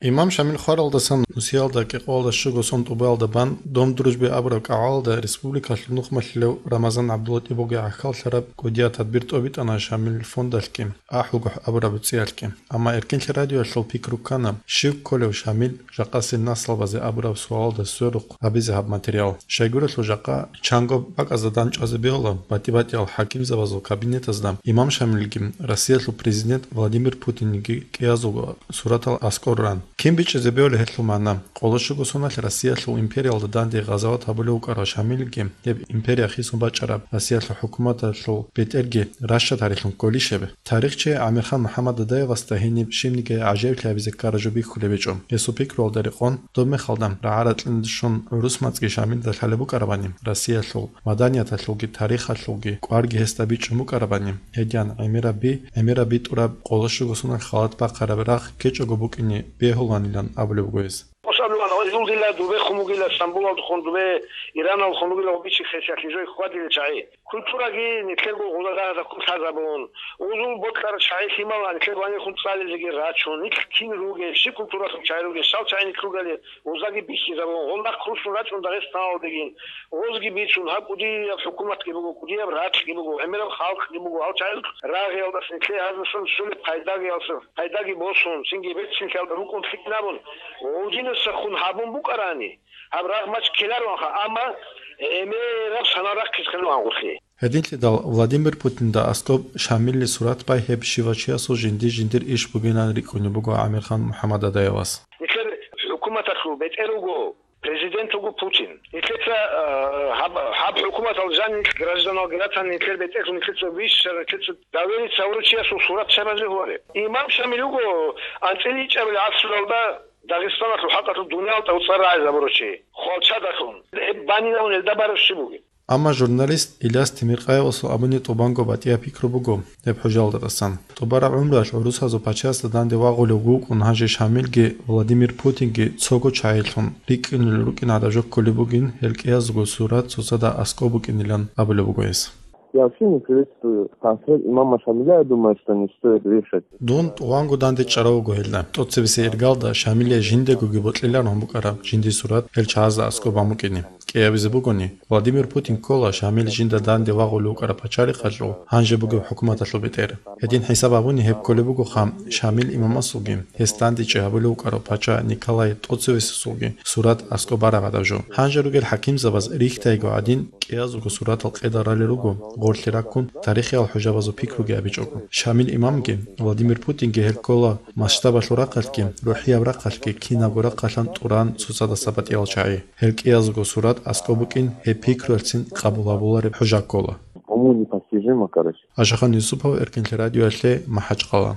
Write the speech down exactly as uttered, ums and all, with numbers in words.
Имам Шамил хваралдасан нусиялда кӀикъоялда щуго сон тӀубаялда бан Дом дружбы абураб кӀагӀалда республикалъул нухмалъилев Рамазан ГӀабдулатӀибовги гӀахьаллъараб кӀудияб тадбир тӀобитӀана Шамил фондалъги, АхӀулгохӀ абураб цӀиялъги. Амма Эркенлъи радиоялъул пикру ккана, щив кколев Шамил жакъасеб наслабазе абураб суалалда сверухъ гьабизе гьаб материал. Щайгурелъул жакъа чанго бакӀазда дандчӀвазе бегьула батӀи-батӀиял хӀакимзабазул кабинетазда имам Шамилги, Россиялъул президент Владимир Путинги кӀиязулго суратал аскӀор ран. Кин бичӀчӀизе бегьулеб гьелъул магӀна? Къоло щуго соналъ Россиялъул империялда данде гъазават гьабулев вукӀарав Шамилги, гьеб империя хисун бачӀараб Россиялъул хӀукуматалъул бетӀерги ращад гьарилъун кколищ гьеб? Тарихчи ГӀамирхан МухӀаммад Дадаевасда гьениб щибниги гӀажаиблъи гьабизе ккараб жо бихьулеб гьечӀо. Гьесул пикруялда рекъон, доб мехалда рагӀа-ракьиналде щун гӀурус мацӀги Шамилда лъалеб букӀарабани, Россиялъул маданияталъулги тарихалъулги кӀварги гьесда бичӀчӀун букӀарабани, гьедин гӀемераб би, гӀемераб битӀураб къоло щуго соналъ халат бахъараб рагъ ккечӀого букӀине бегьуланилан абулеб буго гьес. Осаб лугьана, гьезул дила дубехун вугила, Стамбулалдехун дубе, Ираналдехун вугила, ва бичи хесиялъе жой хьвадила чагӀи. Культураги нилъерго гъоза-дагьазда ккун лъазабун, гъозул бокьарал чагӀи лъимала нилъер гьанирхун цӀализеги рачун, нилъ кин ругел, щиб культуралъул чагӀи ругел, щал чагӀи нилъ ругали, гъозаги бихьизабун, гъол нахъ руссун рачӀун Дагъистаналдегин, гъозги бицун, гьаб кӀудияб хӀукуматги буго, кӀудияб ракьги буго, гӀемераб халкъги буго, гьал чагӀи рагъиялдаса нилъее гьаздасан щолеб пайдаги гьалса, пайдаги босун, цинги берцинлъиялда рукӀун лъикӀ абун, гъодинасахун гьабун букӀарани, гьаб рагъ мачӀ ккелароанха, амма гӀемераб санал рахъизе ккелароан гъорлъе. Гьединлъидал Владимир Путинда аскӀоб Шамилли сурат бай гьеб щивав чиясул жинди-жиндир иш бугилан рикӀкӀунеб буго ГӀамирхан МухӀаммад Дадаевас. Нилъер хӀукуматалъул бетӀер вуго, президент вуго Путин. Нилъеца, э, гьаб, гьаб хӀукуматал жанил гражданал гратан нилъер бетӀерлъун нилъеца вищар, нилъеца доверие гьавурав чиясул сурат щай базе гьуаре? Имам Шамил вуго анцӀила ичӀабил гӀасруялда Дагъистаналъул хӀакъалъулъ дуниял тӀавцӀар рагӀизабурав чи, хвалчадалъун. Гьеб банинавун гьелда бараб щиб бугеб? Амма журналист Иляс Темиркъаевасул абуни тӀубанго батӀияб пикру буго гьеб хӀужалдасан. ТӀубараб гӀумруялъ гӀурусазул пачаясда данде вагъулев вукӀун гьанже Шамилги Владимир Путинги цого чагӀилъун рикӀкӀунел рукӀин гӀадаб жо кколеб бугин, гьел кӀиязулго сурат цоцазда аскӀоб букӀинилан абулеб буго гьес. Я вообще не приветствую трансфер имама Шамиля, я думаю, что не стоит вешать. Дун тӀубанго данде чӀарав вуго гьелда. ТӀоцебесеб иргалда Шамилие жиндегоги бокьиларун букӀараб жиндир сурат гьел чагӀазда аскӀоб бан букӀине. КӀиабизе бугони, Владимир Путин ккола Шамил жинда данде вагъулев вукӀараб пачалихъалъул, гьанже бугеб хӀукуматалъул бетӀер. Гьедин хӀисаб гьабуни гьеб кколеб бугоха, Шамил имамасулги, гьес дандечӀи гьабулев вукӀарав пача Николай тӀоцевесасулги сурат аскӀоб бараб гӀадаб жо. Гьанже ругел хӀакимзабаз рихьайго гӀадин, кӀиязулго суратал къеда ралел руго, гъорлъе раккун, тарихиял хӀужабазул пикруги абичӀого. Шамил имамги, Владимир Путинги гьел ккола масштабалъул рахъалъги, рухӀияб рахъалъги кинабго рахъалъан тӀуран цоцадаса батӀиял чагӀи. Гьел кӀиязулго сурат аскӀоб букӀин гьеб пикруялъцин къабул гьабулареб хӀужа ккола. Уму непостижимо, короче. Ашахан Юсупов, Эркенлъи радиоялъе, МахӀачкъала.